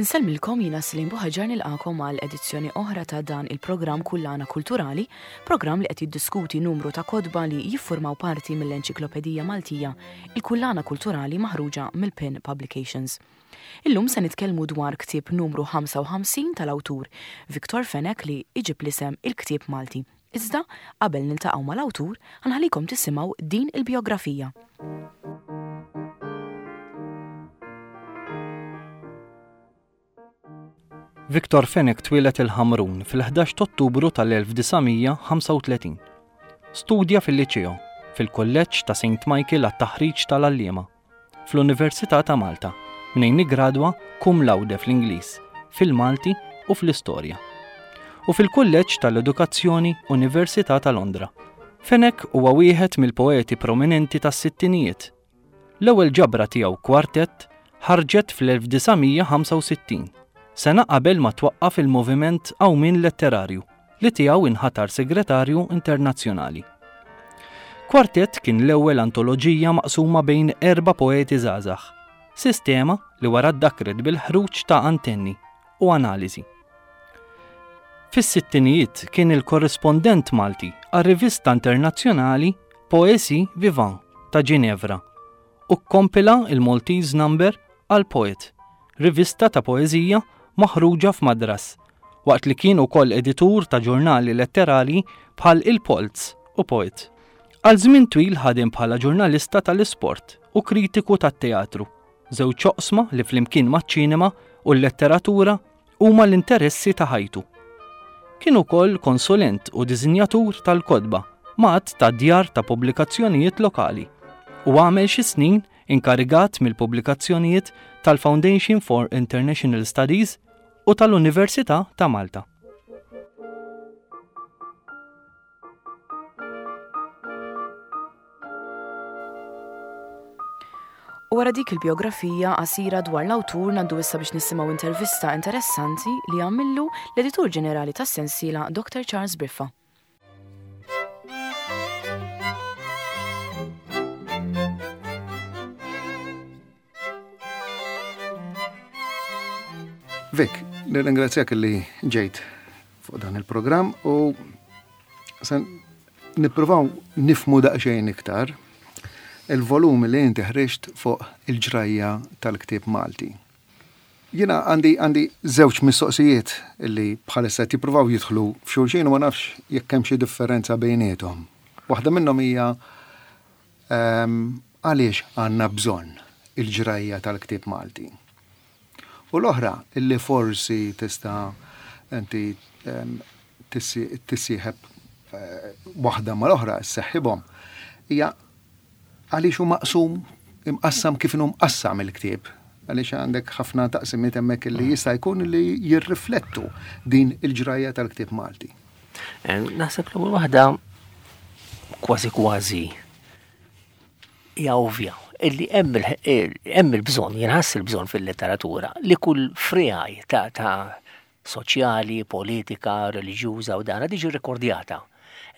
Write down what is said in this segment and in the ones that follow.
Insellmilkom jiena Celine Buhaġar nilqakom għal edizzjoni oħra ta' dan il-programm Kullana Kulturali, programm li qed jiddiskuti numru ta' kotba li jiffurmaw parti mill-Enċiklopedija Maltija, il-Kullana Kulturali maħruġa mill-Pin Publications. Illum se nitkellmu dwar ktieb numru 55 tal-awtur Victor Fenech li iġib l-isem Il-Ktieb Malti. Iżda, qabel niltaqgħu mal-awtur, ħa nħallikom tisimgħu din il-bijografija. Victor Fenech twieled il-Ħamrun fil-11 t'Ottubru tal-1935. Studja fil-Liċeo, fil-Kulleġġ ta' St. Michael għat-Taħriġ tal-Għalliema. fl-Università ta' Malta, mnejn iggradwa cum laude fl-Ingliż, fil-Malti u fl-Istorja. U fil-Kulleġġ tal-Edukazzjoni Università ta' Londra. Fenech huwa wieħed mill-poeti prominenti tas-sittinijiet. L-ewwel ġabra tiegħu Kwartett ħarġet fl-1965, sena qabel ma twaqqaf il-moviment Qawmien Letterarju. li tiegħu inħatar Segretarju Internazzjonali. Kwartett kien l-ewwel antoloġija maqsuma bejn erba' poeti żgħażagħ, sistema li wara ddakkret bil-ħruġ ta' Antenni u Analiżi. Fis-sittinijiet kien il-korrispondent Malti għar-rivista internazzjonali Poésie Vivant ta' Ġinevra u kkompila l-Maltese Number għal Poet, rivista ta' poeżija maħruġa f'Madras, waqt li kien ukoll editur ta' ġurnali letterarji bħal Il-Polz u Poet. Għal żmien twil ħadem bħala ġurnalista tal-isport u kritiku tat-teatru, żewġ oqsma li flimkien maċ-ċinema u l-letteratura huma l-interessi ta' ħajtu. Kien ukoll konsulent u diżinjatur tal-kotba ma' għadd ta' djar ta' pubblikazzjonijiet lokali u għamel xi snin inkarigat mill-pubblikazzjonijiet tal-Foundation for International Studies u tal-Università ta' Malta. U wara dik il-bijografija qasira dwar l-awtur ngħaddu issa biex nisimgħu intervista interessanti li għamillu l-Editur Ġenerali tas-sensiela Dr. Charles Briffa. Vic, nirringrazzjak li ġejt fuq dan il-programm u sen nippruvaw nifmu daqsxejn iktar il-volumi li inti ħriġt fuq il-ġrajja tal-ktieb Malti. Jiena għandi għandi żewġ mistoqsijiet li bħalissa qed jippruvaw jidħlu f'xulxin u ma nafx jekk hemm xi differenza bejniethom. Waħda minnhom hija ehm, għaliex għandna bżonn il-ġrajja tal-ktieb Malti. U l-oħra illi forsi tista' inti ehm, tissieħeb eh, waħda mal-oħra, sseħħibhom, hija Għaliex hu maqsum, imqassam kif inhu mqassam il-ktieb? Għaliex għandek ħafna taqsimiet hemmhekk li jista' jkun li jirriflettu din il-ġrajja tal-ktieb Malti. Eh, naħseb l-ewwel waħda kważi kważi hija ovvja illi hemm eh, il-bżonn, jinħass il-bżonn fil-letteratura li kull friegħi ta' ta' soċjali, politika, reliġjuża u dana tiġi rrekordjata.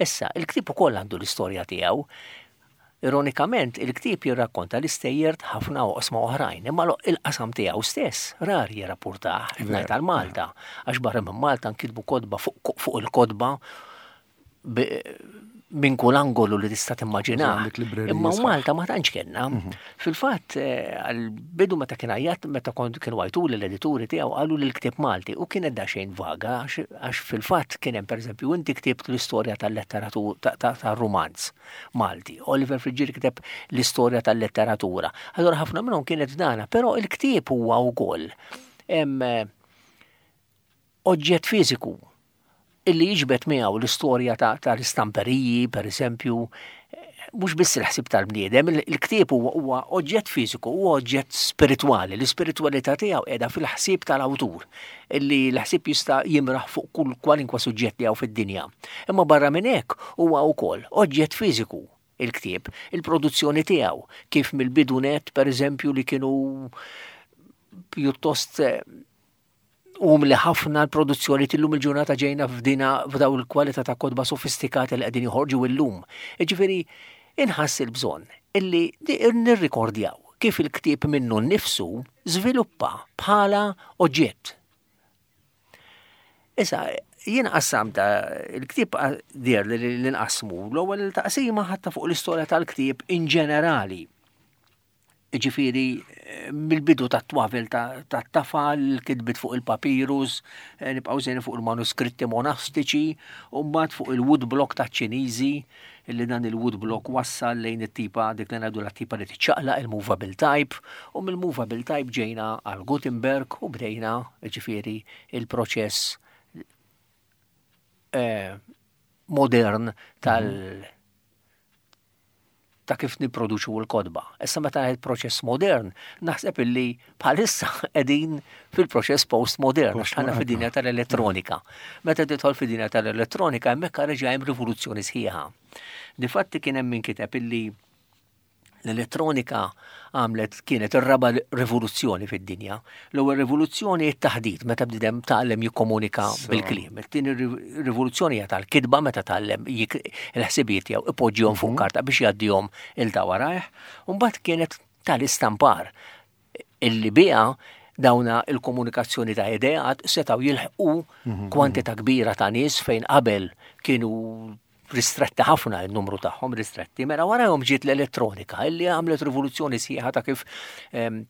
Issa, il-ktieb ukoll għandu l-istorja tiegħu. Ironikament, il-ktieb jirrakkonta l-istejjer ta' ħafna oqsma oħrajn, imma il-qasam tiegħu stess rar jirrapportah, qed ngħid għal Malta, għax barra minn Malta nkitbu kotba fuq il-kotba minn kull angolu li tista' timmaġina. Imma Malta ma tantx kellna. Mhm. Fil-fatt, eh, għal-bidu meta kien għajjat, meta kont kienu għajtu l-edituri tiegħu qalu li l-ktieb Malti u kienet xejn vaga għax fil-fatt kien hemm pereżempju inti ktibt l-istorja tal-letteratura tar-rumanz Malti. Oliver Friggieri kiteb l-istorja tal-letteratura. Allora ħafna minnhom kienet dana, però il-ktieb huwa wkoll eh, oġġett fiżiku illi jiġbed miegħu l-istorja tal-istamperiji, per eżempju, mhux biss il-ħsieb tal-bniedem, il-ktieb huwa oġġett fiżiku, huwa oġġett spiritwali, l-ispiritwalità tiegħu qiegħda fil-ħsieb tal-awtur, illi l-ħsieb jista' jimraħ fuq kull kwalinkwa suġġett li hawn fid-dinja. Imma barra minn hekk huwa wkoll oġġett fiżiku il-ktieb, il-produzzjoni tiegħu, kif mill-bidu net, per eżempju, li kienu pjuttost eh, umli ħafna l-produzzjoni tillum il-ġurnata ġejna f'dina f'daw il-kwalità ta' kotba sofistikati li qegħdin joħorġu illum. Jiġifieri inħass il-bżonn illi nirrikordjaw. kif il-ktieb minnu nnifsu żviluppa bħala oġġett. Issa, jien qassamta il-ktieb deher li li nqassmu l-ewwel taqsima ħadtha fuq l-istorja tal-ktieb in ġenerali. Ġifieri mill-bidu tat-twavel tat-tafal, il-kitbiet fuq il-papyrus, eh, nibqgħu sejrin fuq il-manuskritti monastiċi, u mbagħad fuq il-woodblock taċ-Ċiniżi, illi dan il-woodblock wassal lejn it-tipa dik li ngħidu la tipa li tiċċaqlaq il-movable type, u mill-movable type ġejna għal Gutenberg u bdejna ġifieri il-proċess eh, modern tal- ta' kif nipproduċu l-kotba. Issa meta ngħid proċess modern, naħseb illi bħalissa qegħdin fil-proċess post-modern, għax aħna fid-dinja tal-elettronika. Meta tidħol fid-dinja tal-elettronika, hemmhekk reġa' hemm rivoluzzjoni sħiħa. Difatti kien hemm min kiteb illi l-elettronika għamlet kienet ir-raba' rivoluzzjoni fid-dinja. L-ewwel rivoluzzjoni t-taħdit meta bniedem tgħallem jikkomunika bil-kliem. It-tieni rivoluzzjoni hija tal-kitba meta tgħallem il-ħsibijiet tiegħu ipoġġihom fuq karta biex jgħaddihom il ta' warajh. U mbagħad kienet tal-istampar illi biha dawna il-komunikazzjoni ta' ideat setgħu jilħqu kwantità kbira ta' nies fejn qabel kienu ristretti ħafna il-numru tagħhom ristretti, mela warahom ġiet l-elettronika illi għamlet rivoluzzjoni sħiħa ta' kif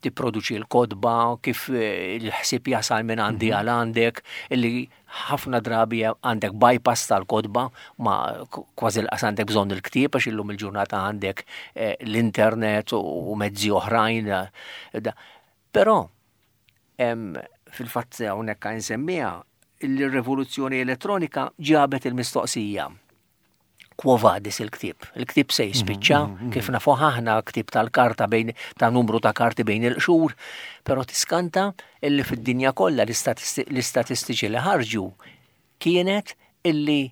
tipproduċi l-kotba, kif eh, il-ħsieb jasal minn għandi għal għandek, illi ħafna drabi għandek bypass tal-kotba, ma kważi l għandek bżonn il-ktieb għax illum il-ġurnata għandek eh, l-internet u mezzi oħrajn. Eh, Però fil-fatt hawnhekk nsemmiha il-rivoluzzjoni elettronika ġabet il-mistoqsija. Quo vadis il-ktieb? Il-ktieb se jispiċċa, kif nafu aħna ktieb tal-karta bejn ta' numru ta' karti bejn il-qxur, però tiskanta illi fid-dinja kollha l-istatistiċi li ħarġu kienet illi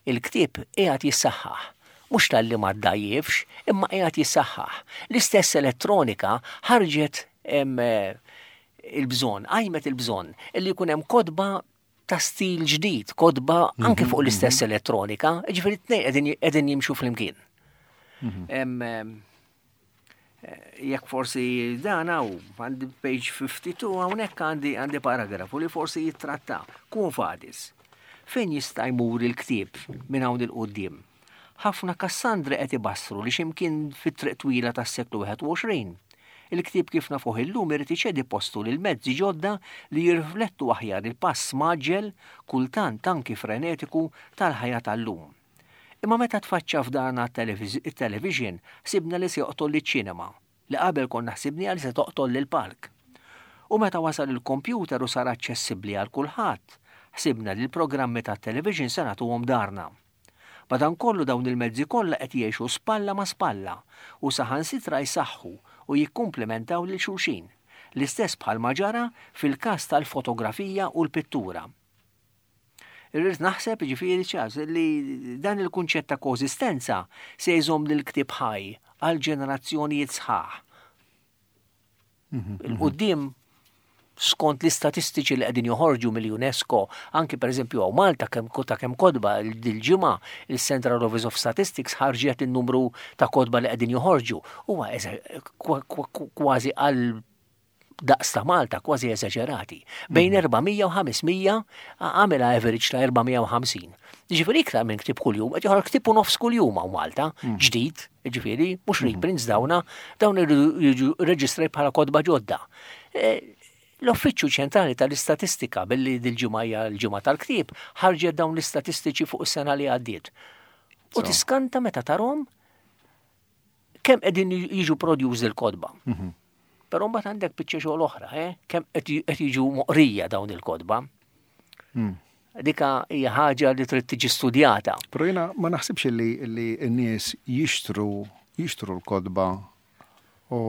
il-ktieb qiegħed jissaħħaħ. Mhux talli ma ddgħajjifx, imma qiegħed jissaħħaħ. L-istess elettronika ħarġet il-bżonn, qajmet il-bżonn illi jkun hemm kotba ta' stil ġdid, kotba anke fuq l-istess elettronika, ġifieri t-tnejn qegħdin jimxu flimkien. Jekk forsi dan hawn għandi page 52 hawnhekk għandi għandi paragrafu li forsi jittratta quo vadis. Fejn jista' jmur il-ktieb minn hawn il-quddiem? Ħafna Kassandri qed ibassru li x'imkien fit-triq twila tas-seklu 21, il-ktieb kif nafuh illum irid iċedi postu lil mezzi ġodda li jirriflettu aħjar il-pass mgħaġġel, kultant anki frenetiku, tal-ħajja tal-lum. Imma meta tfaċċa f'darna t-television, ħsibna li se joqtol liċ-ċinema, li qabel konna ħsibniha li se toqtol lill-palk. U meta wasal il-kompjuter u sar aċċessibbli għal kulħadd, ħsibna li l-programmi tat-television se nagħtuhom darna. Madankollu dawn il-mezzi kollha qed jgħixu spalla ma' spalla u saħansitra jsaħħu u jikkumplimentaw lil xulxin, l-istess bħalma ġara fil-każ tal-fotografija u l-pittura. Irrid naħseb, jiġifieri, Charles, li dan il-kunċett ta' koeżistenza se jżomm lill-ktieb ħaj għal ġenerazzjonijiet sħaħ. Il-qudiem skont l-istatistiċi li qegħdin joħorġu mill-UNESCO, anki pereżempju hawn Malta kemm ta' kemm kotba dil-ġimgħa il-Central Office of Statistics ħarġet in-numru ta' kotba li qegħdin joħorġu. Huwa kważi għal daqs ta' Malta kważi eżaġerati. Bejn 400 u 500 għamela average ta' 450. Ġifieri iktar minn ktieb kuljum, qed joħorġ ktieb u nofs kuljum hawn Malta, ġdid, ġifieri mhux reprints dawna, dawn iridu jiġu reġistrai bħala kotba ġodda. E, L-Uffiċċju Ċentrali tal-Istatistika billi dil-ġimgħa hija l-ġimgħa tal-ktieb ħarġet dawn l-istatistiċi fuq is-sena li għaddiet. U tiskanta meta tarhom kemm qegħdin jiġu produced il-kotba. Però mbagħad għandek biċċa xogħol oħra, eh? kemm qed jiġu moqrija dawn il-kotba. Dika hija ħaġa li trid tiġi studjata. Però jiena ma naħsibx li li n-nies jixtru jixtru l-kotba u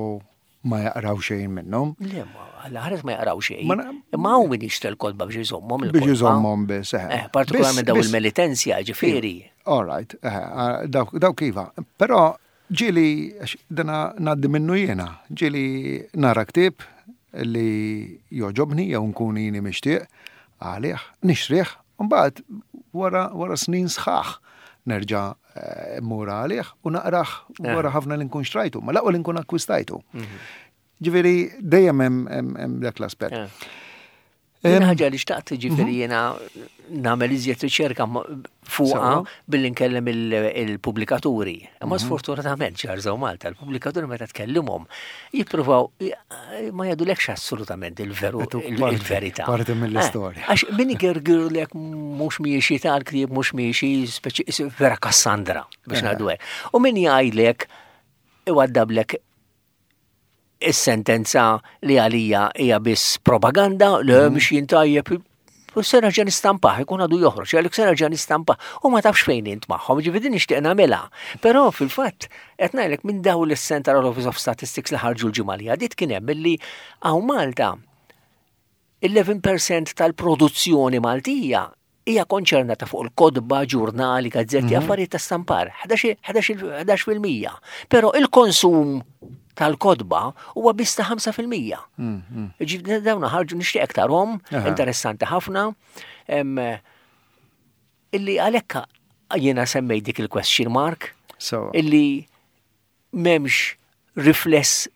ma jaqraw xejn minnhom. Le, ma għal-ħares ma jaqraw xejn. Imma hawn min jixtri l-kotba biex iżommhom il Biex iżommhom biss, eh. eh partikolarment daw il-melitensja, ġifieri. All right, eh, dawk iva. Però ġieli dana ngħaddi minnu jiena, ġieli nara ktieb li jogħġobni jew nkun jini mixtieq għalih, nixtrih, mbagħad wara wara snin sħaħ nerġa' eh, mmur għalih u naqrah eh. wara ħafna li nkun xtrajtu, ma l-aqwa li nkun akkwistajtu. Mhm. Ġifieri dejjem hemm dak l-aspett. Din ħaġa li xtaqt ġifieri mhm. jiena nagħmel iżjed riċerka fuqha billi nkellem il-pubblikaturi. Imma mhm. sfortunatament ċarżaw Malta, il-pubblikaturi meta tkellimhom jippruvaw ma jgħidulekx assolutament il-veru il-verità. Parti mill-istorja. Eh, għax min igergirlek mhux miexi tal-ktieb mhux miexi vera Kassandra biex eh. ngħidu hekk. U min jgħidlek iwaddablek is-sentenza li għalija hija biss propaganda, li mhm. mhux jien tajjeb u se nerġa' nistampah, ikun għadu joħroġ, għalik se nerġa' nistampah, u ma tafx fejn int magħhom, ġifieri nixtieq nagħmilha. Però fil-fatt qed ngħidlek minn dawn l-Central Office of Statistics li ħarġu l-ġimgħa li għadiet kien hemm illi hawn Malta 11% tal-produzzjoni Maltija hija konċernata fuq il-kotba, ġurnali, gazzetti, mm -hmm. affarijiet ta' stampar, 11%. Però il-konsum tal-kotba huwa biss ta' 5%. Mm -hmm. Dawn ħarġu nixtieq aktarhom, interessanti ħafna. Illi għalhekk jiena semmej dik il-question mark. So. Illi m'hemmx rifless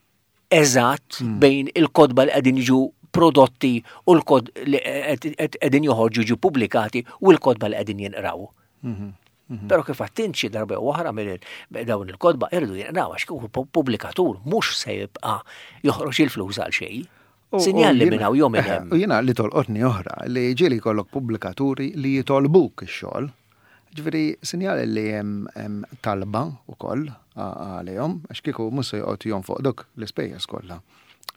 eżatt mm. bejn il-kotba li qegħdin jiġu prodotti u l-kod li qegħdin joħorġu jiġu pubblikati u l-kotba li qegħdin jinqraw. Mhm, mhm. Però kif għattint xi darba oħra minn dawn il-kotba irdu jinqraw għax kieku pubblikatur mhux se jibqa' joħroġ il-flus għal xejn. Sinjal li minn hawn jew minn hemm. U jiena li tolqotni oħra li ġieli jkollok pubblikaturi li jitolbuk ix-xogħol. Ġifieri sinjal li hemm talba wkoll għalihom għax kieku mhux se joqgħod jonfoq dok l-ispejjeż kollha.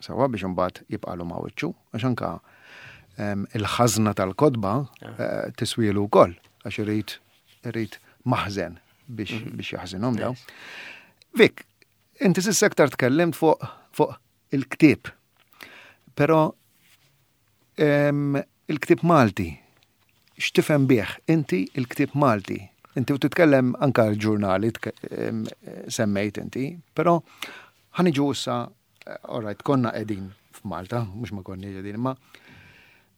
Sewwa biex imbagħad jibqalu ma' wiċċu għax anka il-ħażna tal-kotba eh, tiswielu wkoll għax irid irid maħżen biex mhm. biex jaħżinhom daw. Vik, inti s'issa aktar tkellimt fuq fuq il-ktieb. Però il-ktieb Malti, x'tifhem bih inti il-ktieb Malti? Inti u titkellem anka l-ġurnali semmejt inti, però ħaniġu issa, all right, konna qegħdin f'Malta, mhux ma konniex qegħdin, imma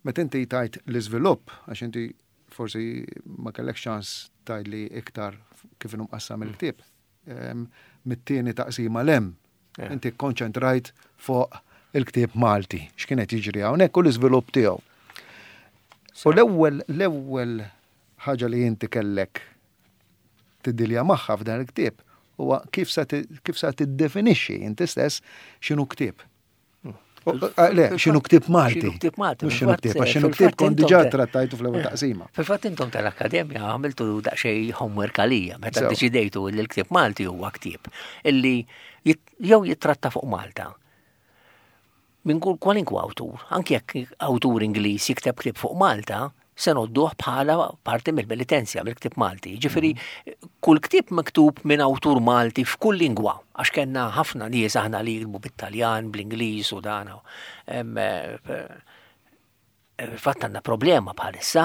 meta inti tajt l-iżvilupp, għax inti forsi ma kellekx ċans tgħidli iktar kif inhu mqassam il-ktieb, mit-tieni taqsima l-hemm. Inti konċentrajt fuq il-ktieb Malti, x'kien qed jiġri hawnhekk u l-iżvilupp tiegħu. U l-ewwel l-ewwel ħaġa li inti kellek tiddilja magħha f'dan il-ktieb huwa kif sa kif sa tiddefinixxi inti stess x'inhu ktieb. Eh, le, xinu ktib Malti. Xinu ktib Malti. Mux xinu ktib, għax xinu ktib kont diġa trattajtu fl-ewwel eh, taqsima. Fil-fatt intom tal-akkademja għamiltu daqsxejn homework għalija, meta deċidejtu li l-ktib Malti huwa ktib illi jew jittratta fuq Malta. Minn kull kwalinkwa awtur, anki jekk awtur Ingliż jikteb ktib fuq Malta, se nodduh bħala parti mill-militenzja, mill-ktieb Malti. Ġifieri, kull ktieb miktub minn awtur Malti f'kull lingwa, għax kellna ħafna nies aħna li jiktbu bit-Taljan, bl-Ingliż u dan. Eh, fatt għandna problema bħalissa,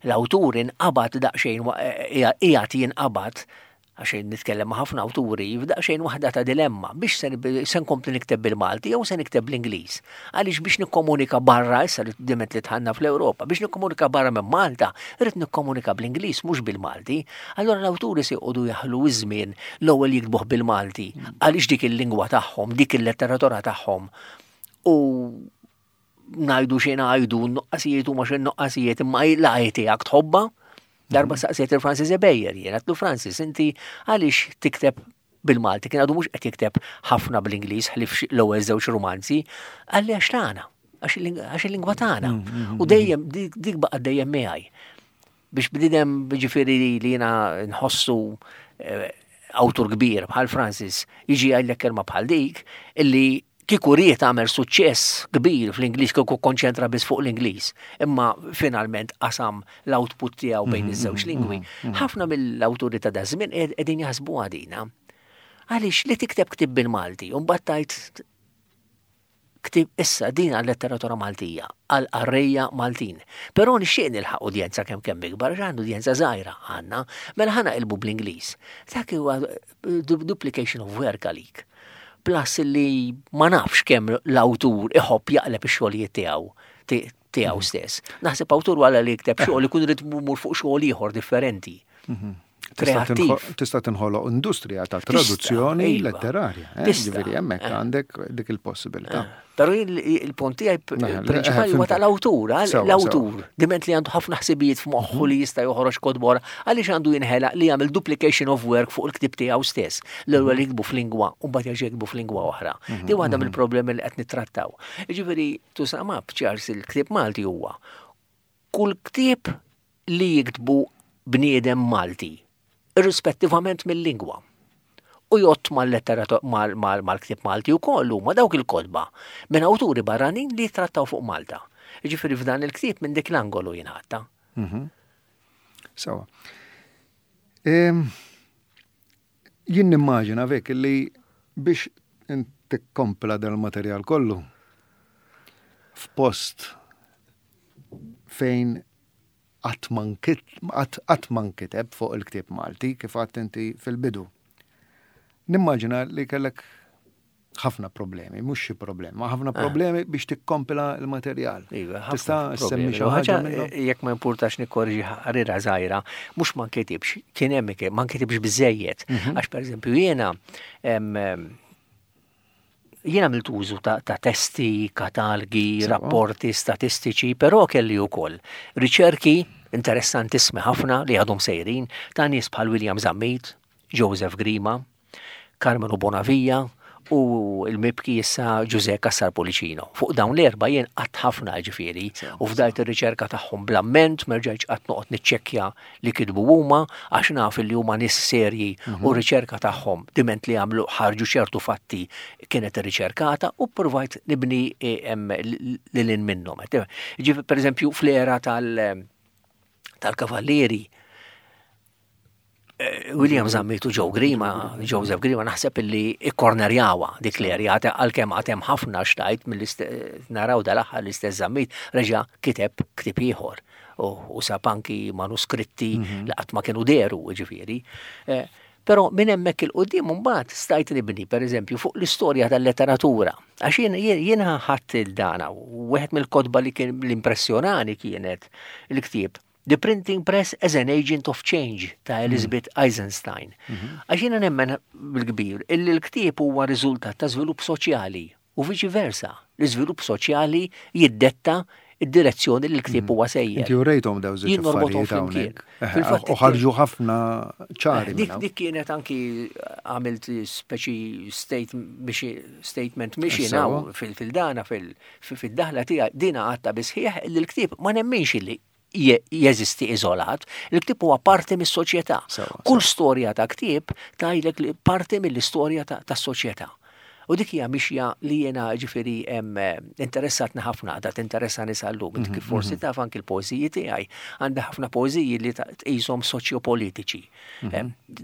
l-awtur inqabad daqsxejn eh, qiegħed jinqabad għax nitkellem ma' ħafna awturi, f'daqsxejn waħda ta' dilemma biex se nkompli nikteb bil-Malti jew se nikteb bl-Ingliż. Għaliex biex nikkomunika barra issa li diment li tħanna fl-Ewropa, biex nikkomunika barra minn Malta, irrid nikkomunika bl-Ingliż mhux bil-Malti. Allura l-awturi se jqogħdu jaħlu iż-żmien l-ewwel jiktbuh bil-Malti għaliex dik il-lingwa tagħhom, dik il-letteratura tagħhom. U ngħidu xi ngħidu, n-nuqqasijiet huma xi nuqqasijiet, imma l-għaj tiegħek tħobba. Darba mhm. saqsiet il-Francis Ebejer, jien għatlu Francis, inti għaliex tikteb bil-Malti, kien għadu mhux qed jikteb ħafna bl-Ingliż ħlif l-ewwel żewġ rumanzi, għalli għax tagħna, għax il-lingwa tagħna. Mhm, mhm, U dejjem dik baqgħet dejjem miegħi. Biex bnidem ġifieri li jiena nħossu eh, awtur kbir bħal Francis jiġi għajlek kelma bħal dik illi kieku ried għamel suċċess kbir fl-Ingliż kieku konċentra biss fuq l-Ingliż, imma finalment qasam l-output tiegħu bejn mhm, iż-żewġ mhm, lingwi. Mhm, Ħafna mill-awturi ta' dażmien qegħdin jaħsbu għadina. Għaliex li tikteb ktib bil-Malti u mbagħad tajt ktib issa din għal letteratura Maltija, għal qarrejja Maltin. Però nixtieq nilħaq udjenza kemm kemm ikbar, għax għandu udjenza żgħira għandna, mela ħana qilbu bl-Ingliż. Dak huwa duplication of work għalik. Plus li ma nafx kemm l-awtur iħobb jaqleb ix-xogħlijiet tiegħu tiegħu mhm. stess. Naħseb awtur wara li jikteb xogħol ikun irid mur fuq xogħol ieħor differenti. Mhm. kreattiv. Tista' tinħoloq industrija ta' traduzzjoni iva. letterarja. Eh? Tista'. Ġifieri hemmhekk Eh. għandek dik il-possibilità. Però il-punt tiegħi Le, prinċipali huwa fimtek. tal-awtur, Sewa, l-awtur. Diment li għandu ħafna ħsibijiet f'moħħu li jista' joħroġ kodbora, għaliex għandu jinħela li jagħmel duplication of work fuq il-ktieb tiegħu stess. L-ewwel jiktbu f'lingwa u mbagħad jerġa' jiktbu f'lingwa oħra. Di waħda mill-problemi li qed nittrattaw. Jiġifieri to sum up, Charles, il-ktieb Malti huwa kull ktieb li jiktbu bniedem Malti, irrispettivament mill-lingwa. U jott mal-ktieb Malti u kollu ma dawk il-kotba minn awturi barranin li trattaw fuq Malta. Ġifieri f'dan il-ktieb minn dik l-angolu jingħatta. Sewa. Jien nimmaġina vek li biex tikkompla dal-materjal kollu f'post fejn qatt ma nkiteb fuq il-ktieb Malti kif għadt inti fil-bidu. Nimmaġina li kellek ħafna problemi, mhux xi problemi, ma ħafna problemi biex tikkompila l-materjal. Iva, ħafna Tista' problemi. ssemmi xi U ħaġa minnhom? Jekk ma importax nikkorġi ħarira żgħira, mhux ma nkitibx, kien hemm ma nkitibx biżejjed. Għax pereżempju jiena jiena għamilt użu ta' testi, katalgi, rapporti, statistiċi, però kelli wkoll riċerki interessantissimi ħafna li għadhom sejrin ta' nies bħal William Zammit, Joseph Grima, Carmelo Bonavia u il-mibki issa Giuseppe Cassar Policino. Fuq dawn l-erba jien qatt ħafna ġifieri u fdajt ir-riċerka tagħhom bl-amment, merġajtx qatt noqgħod niċċekkja li kitbu huma għax naf li huma nies serji u r-riċerka tagħhom diment li għamlu ħarġu ċertu fatti kienet irriċerkata u provajt nibni lil hinn minnhom. Ġifieri pereżempju fl-era tal-kavallieri William Zammit u Joe Grima, Joseph Grima, naħseb illi ikkornerjawa dik l-erja, għalkemm għatem ħafna xtajt naraw dal-aħħar l-istess Zammit reġa' kiteb ktieb ieħor u sab anki manuskritti li qatt ma kienu deru, ġifieri. Però minn hemmhekk il-qudiem mbagħad stajt nibni, pereżempju, fuq l-istorja tal-letteratura. Għax jiena ħadd il-dana, wieħed mill-kotba li kien l-impressjonani kienet il-ktieb The Printing Press as an Agent of Change ta' Elizabeth Eisenstein. Għax jiena nemmen bil-kbir illi l-ktieb huwa riżultat ta' żvilupp soċjali u viċi versa. L-iżvilupp soċjali jiddetta id-direzzjoni li l-ktieb huwa sejjer. Inti urejthom daw żewġ Jien norbothom affarijiet flimkien. hawnhekk. Fil-fatt U ħarġu ħafna ċari. Dik minn hawn. dik kienet anki għamilt speċi state statement mission Sewa. hawn fil-dana fil-daħla tiegħi dina għatta bisħieħ li l-ktieb ma nemminx li jeżisti iżolat, il-ktieb huwa parti mis-soċjetà. Sewa, Kull storja ta' ktieb tgħidlek li parti mill-istorja tas-soċjetà. U dik hija mixja li jiena ġifieri hemm interessatni ħafna, da tinteressani sal-lum. Inti kif forsi taf anki l-poeżiji tiegħi, għandha ħafna poeżiji li tqishom soċjopolitiċi.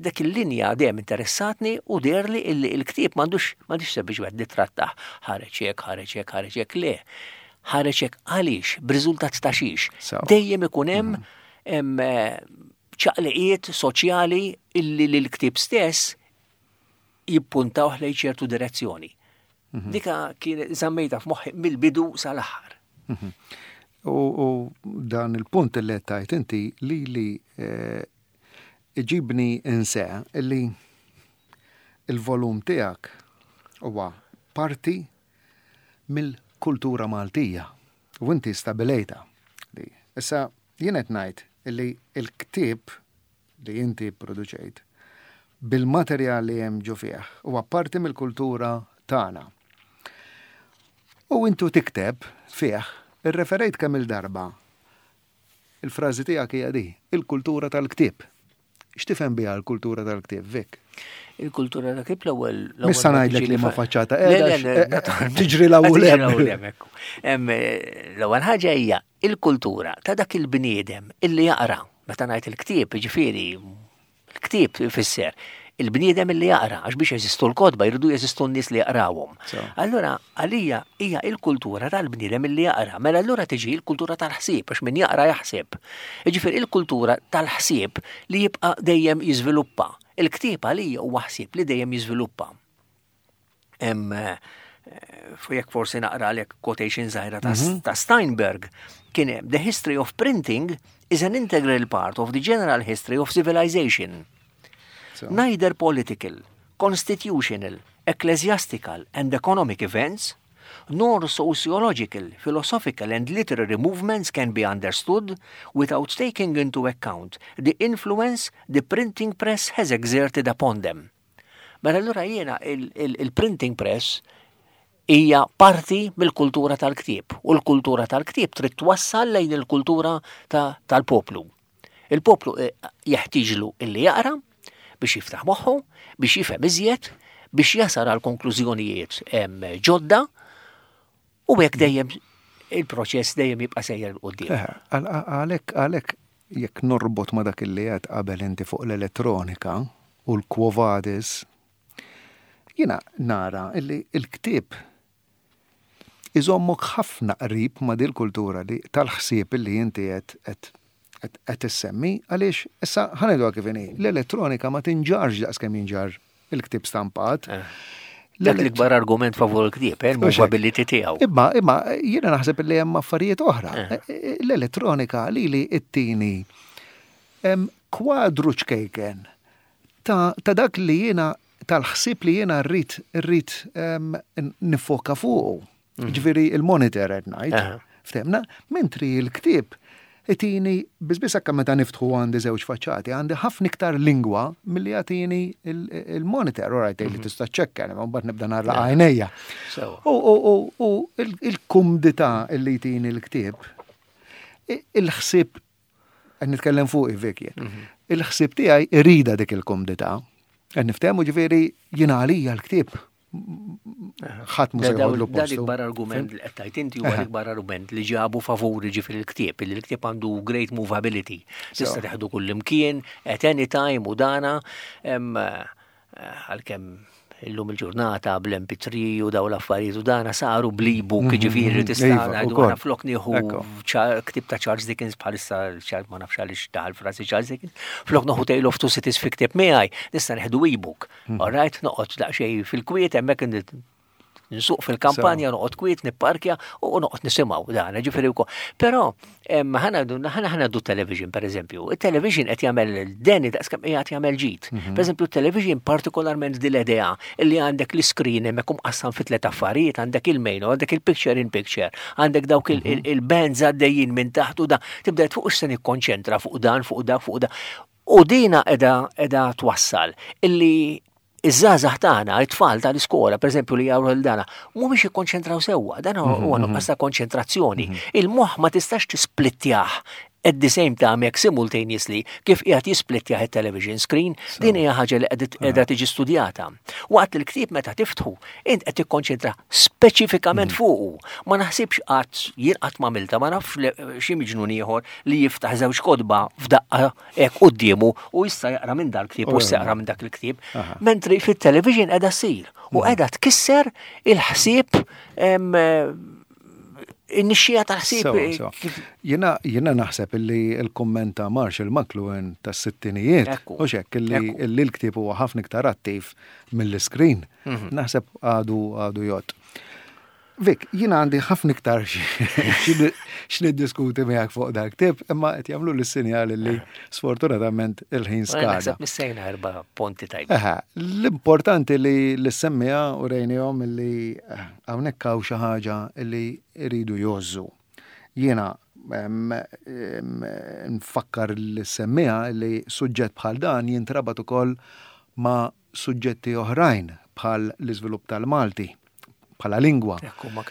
Dak il-linja dejjem interessatni u deherli illi l-ktieb m'għandux sebiex wieħed nittrattah ħareġ hekk, ħareġ hekk, ħareġ hekk, le. Ħareġ hekk għaliex, b'riżultat ta' xiex. Dejjem ikun hemm ċaqliqiet soċjali illi l-ktieb stess jippuntaw lejn ċertu direzzjoni. Dika kien żammejta f'moħħi mill-bidu sal-aħħar. U dan il-punt li qed tgħid inti li iġibni inse li il-volum tiegħek huwa parti mill-kultura Maltija u inti stabilejta. Issa jien qed ngħid li l-ktieb li inti produċejt bil-materjal li hemm ġo fih huwa parti mill-kultura tagħna. U intu tikteb fih, irreferejt kemm il-darba. Il-frażi tiegħek hija di, il-kultura tal-ktieb. X'tifhem biha l-kultura tal-ktieb, Vic? Il-kultura tal-ktieb l-ewwel l-ewwel Missa ma ngħidlek tiġi li ma fa- faċċata Le, qiegħda le, x- le, naturalment. tiġri l-ewwel Tiġri hemm. l-ewwel hemm, ekku. L-ewwel ħaġa hija il-kultura ta' dak il-bniedem illi jaqra. Meta ngħid il-ktieb, jiġifieri il-ktieb ifisser il-bniedem illi jaqra, għax biex jeżistu l-kotba jridu jeżistu n-nies li jaqrawhom. Allura għalija hija il-kultura tal-bniedem illi jaqra, mela allura tiġi il-kultura tal-ħsieb, għax min jaqra jaħseb. Jiġifieri il-kultura tal-ħsieb li jibqa' dejjem jiżviluppa. Il-ktieb għalija huwa ħsieb li dejjem jiżviluppa. Jekk forsi naqra għalek quotation żgħira ta' Steinberg, kien hemm, The history of printing is an integral part of the general history of civilization. Neither political, constitutional, ecclesiastical and economic events, nor sociological, philosophical and literary movements can be understood without taking into account the influence the printing press has exerted upon them. Mela allura jiena il-printing press hija parti mill-kultura tal-ktieb u l-kultura tal-ktieb trid twassal lejn il-kultura tal-poplu. Il-poplu eh, jeħtieġlu illi jaqra biex jiftaħ moħħu, biex jifhem iżjed, biex jasal għal konklużjonijiet ġodda u hekk dejjem il-proċess dejjem jibqa' sejjer 'il quddiem. Eh, għalhekk għalhekk jekk norbot ma' dak li għedt qabel inti fuq l-elettronika u l-Quo Vadis, jiena nara illi l-ktieb iżommok ħafna qrib ma' dil-kultura li tal-ħsieb illi inti qed qed issemmi għaliex issa ħa ngħiduha kif inhi, l-elettronika ma tinġarrx daqskemm jinġarr il-ktieb stampat. Eh. Dak l-ikbar argument favur il-ktieb, eh, il-movability tiegħu. Imma, imma jiena naħseb li hemm affarijiet oħra. Eh. Eh, l-elettronika li li ittini kwadru ċkejken ta', ta dak li jiena tal-ħsieb li jiena rrid rrid nifoka fuqu. Mhm. Ġifieri il-monitor qed ngħid. Ftemna, mentri l-ktieb itini biss anke meta niftħu għandi żewġ faċċati, għandi ħafna iktar lingwa milli jagħtini il-monitor, all right, li mhm. tista' ċċekka, imma mbagħad nibda narra għajnejja. U il-kumdità li jtini l-ktieb, il-ħsieb qed nitkellem fuq Vik jien. Mhm. Il-ħsieb tiegħi irida dik il-kumdità. Qed niftehmu ġifieri jien għalija l-ktieb ħadd mhu se jħodlu postu. Dan l-ikbar argument li qed tgħid inti huwa l-ikbar argument li ġabu favuri ġifieri l-ktieb, li l-ktieb għandu great movability. Tista' teħdu kull imkien, at any time u dana eh, għalkemm illum il-ġurnata bl-MP3 u daw l-affarijiet u dana saru bl-ebook, mhm, ġifieri mhm. tista' iva, ngħidu għana flok nieħu ktib ta' Charles Dickens bħalissa ma nafx għaliex daħal frażi Charles Dickens, flok nieħu Tale of Two Cities fi ktieb miegħi, nista' nieħdu ebook. Mhm. All right, noqgħod daqsxejn fil-kwiet hemmhekk nsuq fil-kampanja, noqgħod kwiet, nipparkja u noqgħod nisimgħu dan, ġifieri wkoll. Però ħana ħana du television pereżempju, il-television qed jagħmel deni daqskemm qiegħed jagħmel ġid. Mhm. Pereżempju television partikolarment din l-idea li għandek l-iskrin hemmhekk umqassam fi tliet affarijiet, għandek il-main, għandek il-picture in picture, għandek dawk mhm. il-bands għaddejjin minn taħt u da, tibda fuq se nikkonċentra fuq dan, fuq dak, fuq da. U dina edha edha twassal illi iż-żgħażagħ tagħna, it-tfal tal-iskola, pereżempju li jgħu l dana, mhumiex jikkonċentraw sewwa, dan mhm, huwa mhm. nuqqas ta' konċentrazzjoni. Mhm. Il-moħħ ma tistax tisplittjah at the same time jekk simultaneously kif qiegħed jisplittjah it-television screen, din hija ħaġa li qiegħda tiġi studjata. Waqt il-ktieb meta tiftħu, int qed tikkonċentra speċifikament fuqu. Ma naħsibx qatt jien qatt m'għamilta, ma nafx xi miġnun ieħor li jiftaħ żewġ kotba f'daqqa hekk quddiemu u issa jaqra minn dal-ktieb u issa jaqra minn dak il-ktieb. Mentri fit-television qiegħda ssir u mhm. qiegħda tkisser il-ħsieb in-nixxija tal-ħsieb. Jiena jiena naħseb illi l-kumment ta' Marshall McLuhan tas-sittinijiet, u xekk illi l-ktieb huwa ħafna iktar attiv mill-iskrin, mhm. naħseb għadu għadu jgħodd. Vik, jiena għandi ħafna iktar x'niddiskuti miegħek fuq dak ktieb, imma qed jagħmlu l-sinjal li sfortunatament il-ħin skada. Naħseb missejna erba' ponti tajba. L-importanti li l-semmija u rejnihom li eh, hawnhekk hawn xi ħaġa li jridu jgħożżu. Jiena nfakkar l-semmija li suġġett bħal dan jintrabat ukoll ma' suġġetti oħrajn bħal l-iżvilupp tal-Malti bħala lingwa.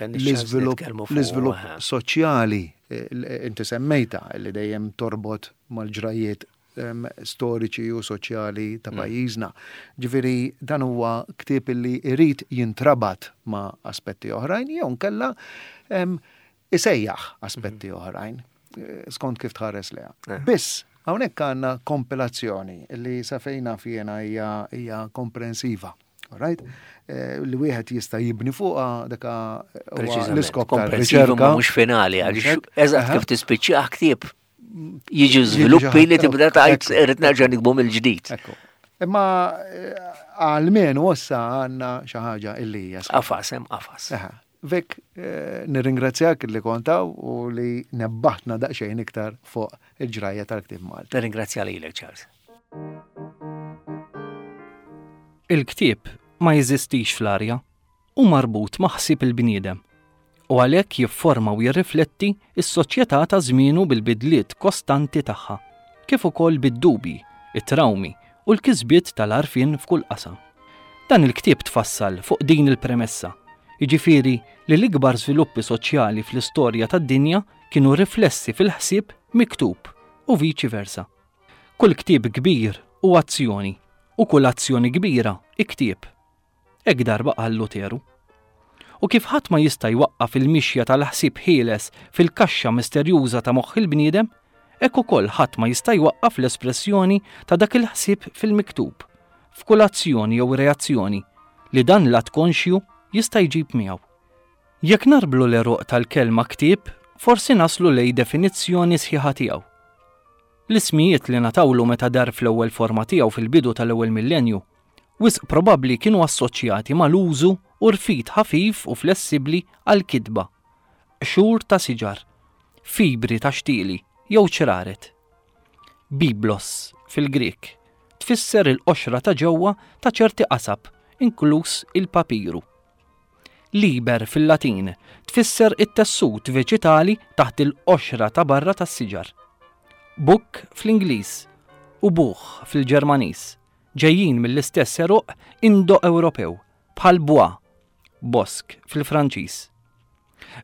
L-iżvilupp soċjali eh, inti semmejta li dejjem torbot mal-ġrajiet storiċi u soċjali ta' mm. pajjiżna. Ġifieri dan huwa ktieb li jrid jintrabat ma' aspetti oħrajn jew nkella isejjaħ aspetti mhm. oħrajn eh, skont kif tħares leha. Eh. Biss, hawnhekk għandna kompilazzjoni li sa fejn naf jiena hija komprensiva. Right? Eh, li wieħed jista' jibni fuqha daka l-iskop tar-riċerka. Mhux finali, għaliex eżatt kif tispiċċa ktieb jiġu żviluppi li tibda tgħid irid nerġa' nikbu mill-ġdid. Imma għalmenu issa għandna xi ħaġa illi hija. Qafas hemm qafas. Vik, nirringrazzjak li kont hawn u li nebbaħtna daqsxejn iktar fuq il-ġrajja tal-ktieb Malti. Nirringrazzja lilek, Charles. Il-ktieb ma jeżistix fl-arja, hu marbut ma' ħsieb il-bniedem u għalhekk jifforma u jirrifletti s-soċjetà ta' żmienu bil-bidliet kostanti tagħha, kif ukoll bid-dubji, it-trawmi u l-kisbiet tal-għarfien f'kull qasam. Dan il-ktieb tfassal fuq din il-premessa, jiġifieri li l-ikbar żviluppi soċjali fl-istorja tad-dinja kienu riflessi fil-ħsieb miktub u viċi versa. Kull ktieb kbir hu azzjoni u kull azzjoni kbira hi ktieb. Hekk darba qal Luteru. U kif ħadd ma jista' jwaqqaf il-mixja tal-ħsieb ħieles fil-kaxxa misterjuża ta' moħħ il-bniedem, hekk ukoll ħadd ma jista' jwaqqaf l-espressjoni ta' dak il-ħsieb fil-miktub, f'kull azzjoni jew reazzjoni li dan l-att konxju jista' jġib miegħu. Jekk nagħrblu l-għeruq tal-kelma ktieb, forsi naslu lejn definizzjoni sħiħa tiegħu. L-ismijiet li ngħatawlu meta dar fl-ewwel forma tiegħu fil-bidu tal-ewwel millenju wisq probabbli kienu assoċjati mal-użu u rfid ħafif u flessibbli għall-kitba, qxur ta' siġar, fibri ta' xtieli jew ċraret. Biblos, fil-Grieg, tfisser il-qoxra ta' ġewwa ta' ċerti qasab, inkluż il-papiru. Liber fil-Latin tfisser it-tessut veġitali taħt il-qoxra ta' barra tas-siġar. Book fl-Ingliż u Buch fil-Ġermaniż ġejjin mill-istess għeruq Indo-Ewropew bħal bois, bosk fil-Franċiż.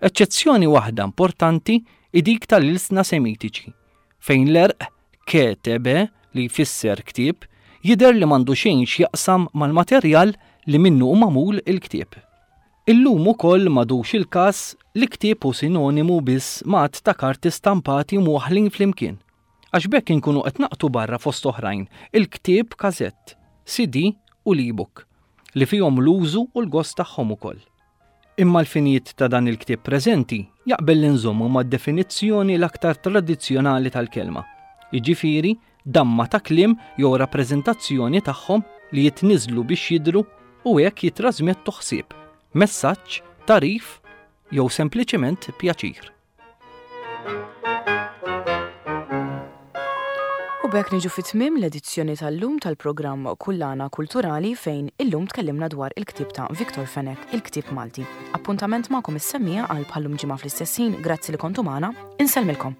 Eċċezzjoni waħda importanti hi dik tal-ilsna Semitiċi, fejn l-għerq KTB li jfisser ktieb jidher li m'għandu xejn x'jaqsam mal-materjal li minnu hu magħmul il-ktieb. Illum ukoll m'għadux il-każ li ktieb hu sinonimu biss ma' għadd ta' karti stampati u mwaħħlin flimkien, għax b'hekk inkunu qed naqtu barra fost oħrajn il-ktieb każett, CD u l-e-book, li fihom l-użu u l-gost tagħhom ukoll. Imma l-finijiet ta' dan il-ktieb preżenti jaqbel li nżommu mad-definizzjoni l-aktar tradizzjonali tal-kelma, jiġifieri damma ta' kliem jew rappreżentazzjoni tagħhom li jitniżżlu biex jidhru u hekk jittrażmettu ħsieb, messaġġ, tagħrif jew sempliċement pjaċir. U b'hekk niġu fi tmiem l-edizzjoni tal-lum tal-programm Kullana Kulturali fejn illum tkellimna dwar il-ktieb ta' Victor Fenech, Il-Ktieb Malti. Appuntament magħkom is-semmiegħa għal bħal-lum ġimgħa fl-istess ħin, grazzi li kontu magħna, insellmilkom.